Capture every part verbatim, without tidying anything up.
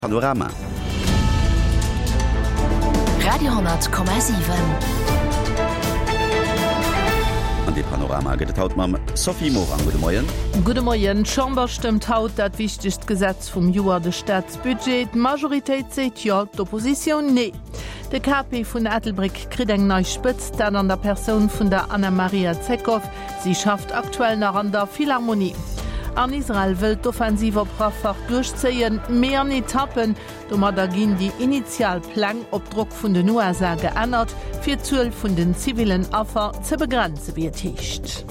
Panorama. Radio honnert Komma siwen. An dee Panorama gëtt et haut mam Sophie Morang. Gudde Moien. Gudde Moien. D'Chamber stëmmt haut dat wichtegst Gesetz vum Joer, de Staatsbudget. D'Majoritéit seet Jo, d'Oppositioun Nee. De K P vun Ettelbréck kritt eng nei Spëtzt, dat an der Persoun vun der Anna-Maria Zekow. Si schafft aktuell nach an der Philharmonie. An Israel wëll d'Offensiv op Rafah duerchzéien, mee an Etappen. Domadder ginn déi initial Pläng op Drock vun den U S A geännert, fir d'Zuel vun den zivillen Affer ze begrenzen, wéi et heescht.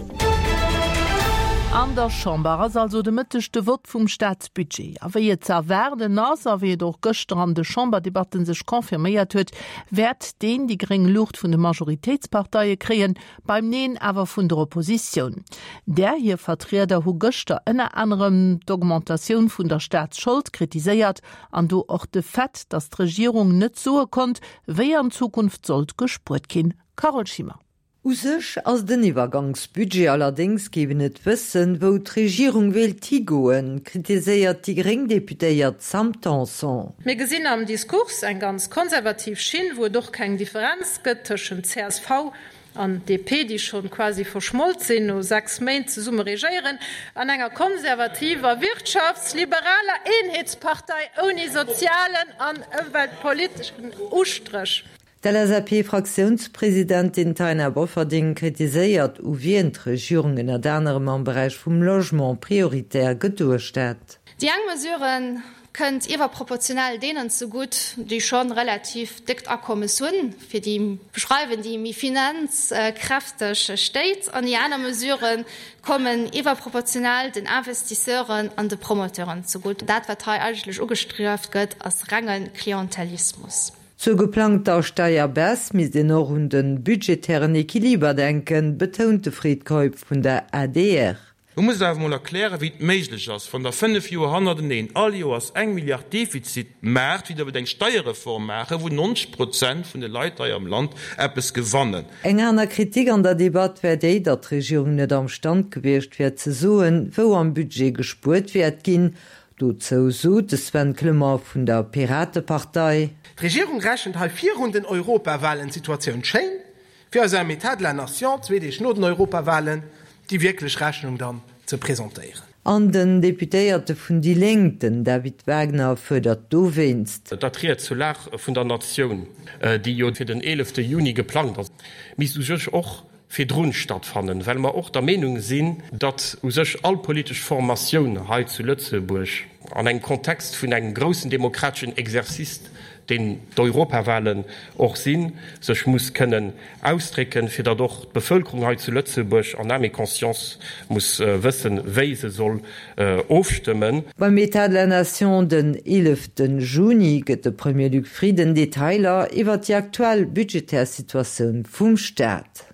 An der Chamber ass also de Mëtteg de Vott vum Staatsbudget. A wéi et ze erwaarden ass, a wéi et och gëschter an de Chamberdebatten sech confirméiert huet, wäert deen déi gréng Luucht vun de Majoritéitsparteie kréien, beim Neen awer vun der Oppositioun. Där hir Vertrieder hu gëschter ënner anerem d'Augmentatioun vun der Staatsschold kritiséiert an do och de Fait, datt d'Regierung net soe konnt, wéi an Zukunft sollt gespuert ginn. Carole Schimmer. U sech ass den Iwwergangsbudget, allerdéngs géif een net wëssen, wou d'Regierung wéilt higoen, kritiséiert déi gréng Deputéiert Sam Tanson. Mir gesinn am Diskurs eng ganz konservativ Schinn, wou et och keng Differenz gëtt tëschent C S V an D P, déi schonn quasi verschmolt sinn no sechs Méint zesumme regéieren, an enger konservativer, wirtschaftsliberaler Eenheetspartei ouni sozialen an ëmweltpoliteschen Ustréch. D'L S A P-Fraktiounspresidentin Taina Bofferding kritiséiert, u wien d'Regierung ënnert anerem am Beräich vum Logement prioritär geduecht hätt. Déi eng Mesure kënnt iwwerproportionell deenen zegutt, déi schonn relativ déckt Akommes hunn, fir déi beschreiwen déi méi finanzkräfteg Stéit, an déi aner Mesure kommen iwwerproportionell den Investisseuren an de Promoteuren zegutt. Dat wat hei eigentlech ugestrieft gëtt, ass renge Klientelismus. Zur geplangter Steierbaisse misst een och un de budgetären Equiliber denken, betount de Fred Keup vun der A D R. Du muss awer mol erklären, wéi et méiglech ass, wann der fënnef Joer hannerteneen all Joers eng Milliard Defizit maacht, wéi der wëllt eng Steierreform maachen, wou neunzeg Prozent vun de Leit hei am Land eppes gewannen. Eng aner Kritik an der Debatt wär déi, datt d'Regierung net am Stand gewiescht wär ze soen, wou am Budget gespuert wäert ginn. Dozou sot de Sven Clement vun der Piratepartei: D'Regierung rechent hei virun den Europawalen d'Situatioun schéin, fir eis am État de la Nation zwee Deeg no den Europawalen déi wierklech Rechnung dann ze presentéieren. An den Deputéierte vun déi Lénk, den David Wagner, fuerdert dowéinst: Datt Ried zur Lag vun der Natioun, déi jo fir den eelefte Juni geplangt ass, misst u sech och virdrun stattfannen, well mer och der Meenung sinn, datt u sech all politesch Formatioun hei zu Lëtzebuerg an engem Kontext vun engem groussen demokrateschen Exercice, deen d'Europawahlen och sinn, sech muss kënnen ausdrécken, fir datt och d'Bevëlkerung hei zu Lëtzebuerg en âme et conscience muss wëssen, wéi se soll ofstëmmen. Beim État de la Nation den eelefte Juni gëtt de Premier Luc Frieden Detailer iwwer déi aktuell budgetär Situatioun vum Staat.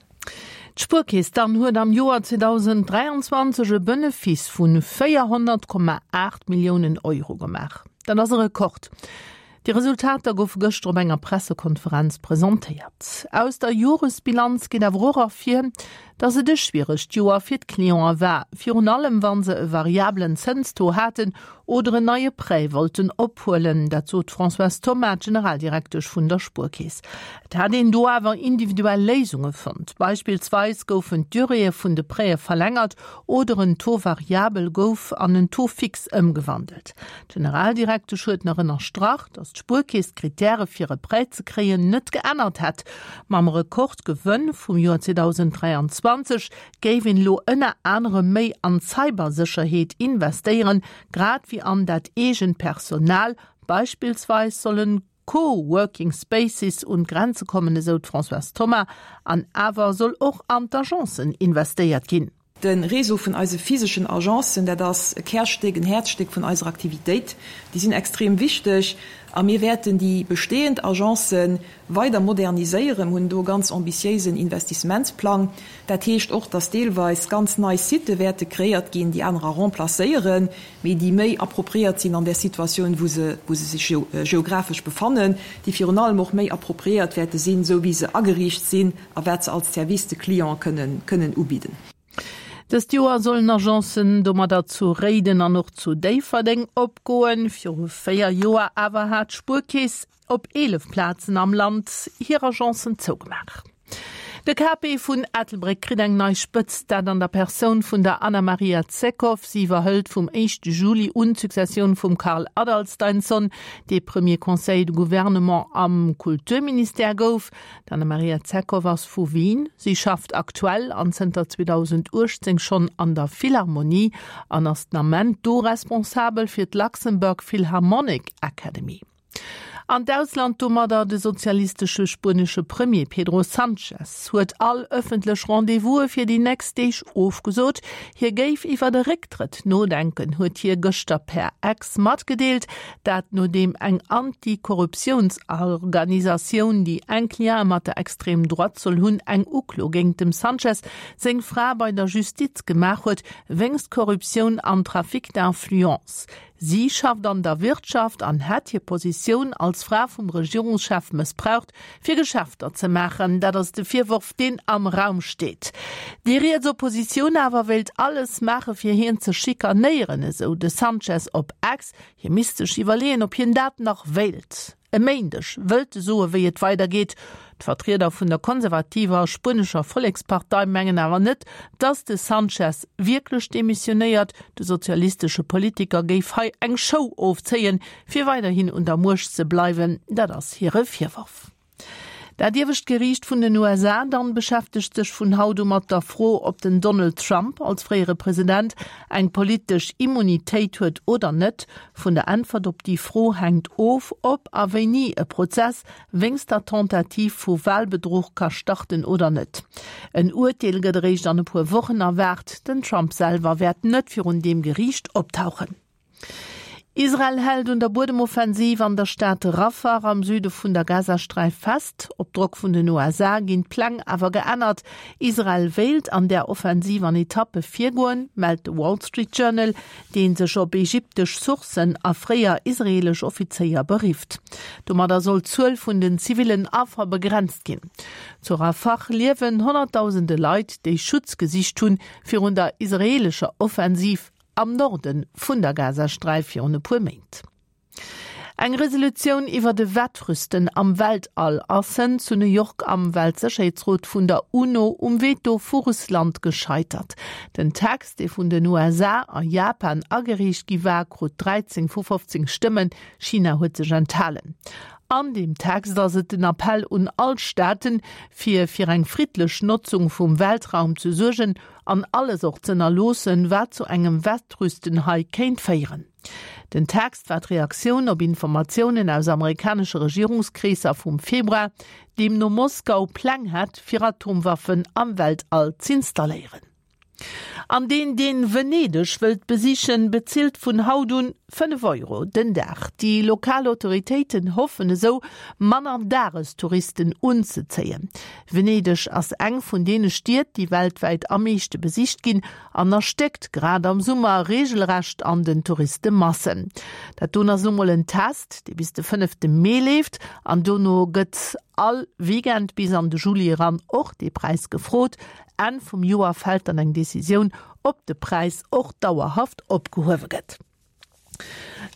D'Spuerkeess dann huet am Joer zweedausenddräianzwanzeg e Benefice vun véierhonnertkomma aacht Milliounen Euro gemaach. Dat ass e Rekord. Déi Resultater goufe gëschter op enger Pressekonferenz presentéiert. Aus der Joresbilanz geet awer och ervir, datt et e schwieregt Joer fir d'Clientë war, virun allem wann se e variablen Zënstaux haten oder en neie Prêt wollten ophuelen, dat sot d'Françoise Thoma, Generaldirektesch vun der Spuerkeess. Et hätt een do awer individuell Léisunge fonnt. Beispillsweis goufen d'Duréeë vun de Prêtë verlängert oder en Taux variabel gouf an en Taux fixe ëmgewandelt. D'Generaldirektesch huet nach ënnerstrach, datt d'Spuerkeess d'Krittäre fir e Prêt ze kréien net geännert hätt. Mam Rekordgewënn vum Joer zweedausenddräianzwanzeg géif een elo ënner anerem méi an Cybersécherheet investéieren, grad wéi an dat eegent Personal, beispillsweis sollen Co-working Spaces un d'Grenze kommen, esou d'Françoise Thoma, an awer soll och an d'Agencen investéiert ginn. De Réseau vun eise physeschen Agencen, dat ass e Kärstéck, en Häerzstéck vun eiser Aktivitéit. Déi sinn extrem wichteg a mir wäerten déi bestehend Agencen weider moderniséieren, hunn do e ganz ambitiéisen Investissementsplang. Dat heescht och, dass deelweis ganz nei Sitë wäerte kreéiert ginn, déi anerer remplacéieren, mee déi méi appropriéiert sinn an der Situatioun, wou se wou se sech geographesch befannen, déi virun allem och méi appropriéiert wäerte sinn, esou wéi se ageriicht sinn a wat se als Service de Client kënnen kënnen ubidden. Dëst Joer sollen Agencen domadder zu Réiden an och zu Déifferdeng opgoen. Viru véier Joer awer hat d'Spuerkeess op eelef Plazen am Land hir Agencen zougemaach. De K P vun Ettelbréck kritt eng nei Spëtzt, dat an der Persoun vun der Anna-Maria Zekow. Si iwwerhëlt vum éischte Juli un d'Successioun vum Karl Adalsteinsson, dee Premier Conseiller de Gouvernement am Kulturministère gouf. D'Anna-Maria Zekow ass vu Wien. Si schafft aktuell an zënter zweedausenduechtzéng schonn an der Philharmonie an ass den Ament do responsabel fir d'Luxembourg Philharmonic Academy. An d'Ausland domadder, De sozialistesche spuenesche Premier Pedro Sanchez huet all ëffentlech Rendez-vouse fir déi nächst Deeg ofgesot. Hie géif iwwer e Récktrëtt nodenken, huet hie gëschter per X matgedeelt. Dat nodeem eng Anti-Korruptiounsorganisatioun, déi enk Liene mat der Extreme Droite soll hunn, eng Uklo géint dem Sanchez seng Fra bei der Justiz gemaach huet, wéinst Korruptioun an Trafic d'influence. Si schafft an der Wirtschaft an hätt hir Positioun als Fra vum Regierungschef mëssbraucht, fir Geschäfter ze maachen. Dat ass de Virworf, deen am Raum steet. Déi riets Oppositioun awer wéilt alles maache fir hien ze schikanéieren, esou de Sanchez op X. Hie misst sech iwwerleeën, ob hien dat nach wéilt. E Méindeg wëllt e soe wéi et weidergeet. D'Vertrieder vun der konservativer spuenescher Vollekspartei mengen awer net, datt de Sanchez wierklech demissionéiert. De sozialistesche Politiker géif hei eng Show ofzéien, fir weiderhin un der Muecht ze bleiwen, dat ass hire Virworf. Dat iewescht Geriicht vun den U S A dann beschäftegt sech vun haut u mat der Fro, ob den Donald Trump als fréiere President eng politesch Immunitéit huet oder net. Vun der Äntwert op déi Fro hänkt of, ob a wéini e Prozess wéinst der Tentative vu Walbedruch ka starten oder net. En Urteel gëtt eréischt an e puer Wochen erwaart. Den Trump selwer wäert net virun deem Geriicht optauchen. Israel hält un der Buedemoffensiv an der Stad Rafah am Süde vun der Gazasträif fest. Op Drock vun den U S A ginn d'Pläng awer geännert. Israel wéilt an der Offensiv an Etappe virgoen, mellt de Wall Street Journal, dee sech op ägyptesch Sourcen a fréier israeelesch Offizéier berifft. Domadder soll d'Zuel vun den zivillen Affer begrenzt ginn. Zu Rafah liewen honnertdausende Leit, déi Schutz gesicht hunn virun der israeelescher Offensiv am Norde vun der Gazasträif virun e puer Méint. Eng Resolutioun iwwer de Wettrüsten am Weltall ass zu New York am Weltsécherheetsrot vun der UNO um Veto vu Russland gescheitert. Den Text, dee vun den U S A a Japan agereecht gi war, krut dräizéng vu fofzéng Stëmmen, China huet sech enthalen. An deem Text ass et den Appell un all Staaten, fir fir eng friddlech Notzung vum Weltraum ze suergen an alles och z'ënnerloossen, wat zu engem Wettrüsten hei kéint féieren. Den Text war d'Reaktioun op Informatiounen aus amerikanesche Regierungskreesser vum Februar, deemno Moskau Pläng hätt, fir Atomwaffen am Weltall z'installéieren. An deen, deen Venedeg wëllt besichen, bezilt vun haut un fënnef Euro den Dag. Déi lokal Autoritéiten hoffen esou, manner Dagestouristen unzezéien. Venedeg ass eng vun deene Stied, déi weltwäit am meeschte besicht ginn an erstéckt grad am Summer reegelrecht an den Touristemassen. Dat doen ass lo mol en Test, dee bis de fënnefte Mee leeft an dono gëtt all Weekend bis an de Juli eran och dee Präis gefrot. Enn vum Joer fält dann eng Decisioun, ob de Präis och dauerhaft opgehuewe gëtt.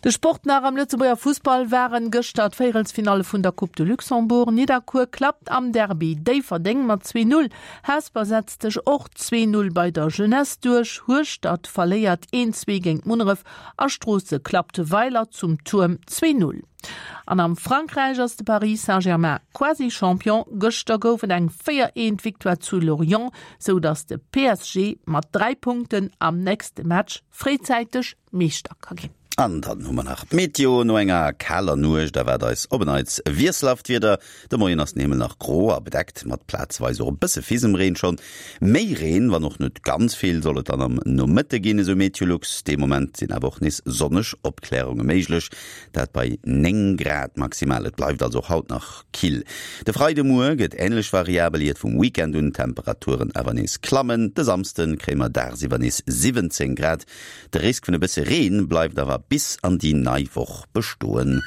De Sport nach. Am Lëtzebuerger Fussball waren gëschter d'Véierelsfinalle vun der Coupe de Luxembourg. Nidderkuer klappt am Derby Déifferdeng mat zwee Null. Hesper setzt sech och zwee Null bei der Jeunesse duerch. Hueschtert verléiert een zwee géint Munneref a Stroosse klappt Weiler zum Tuerm zwee Null. An am Frankräich ass de Paris Saint-Germain quasi Champion. Gëschter gouf et eng véier eent Victoire zu Lorient, sou datt de P S G mat dräi Punkten am nächste Match fréizäiteg Meeschter ka ginn. An dann hu mer nach d'Meteo. No enger kaler Nuecht erwaart eis op en Neits wiesselhaft Wieder. De Moien ass den Himmel nach gro a bedeckt, mat plazeweis och e bësse Fisemreen schonn. Méi Reen, wann och net ganz vill, soll et dann am Nomëtte ginn, esou Meteolux. Dee Moment sinn awer och nees sonneg Opklärunge méiglech, dat bei néng Grad maximal. Et bleift also och haut nach kill. De Freidemuer gëtt änlech variabel, iert vum Weekend un d'Temperaturen awer nees klammen. De Samsde kréie mer dagsiwwer nees siwwenzéng Grad. De Risk vun e bësse Reen bleift awer bis an déi nei Woch bestoen.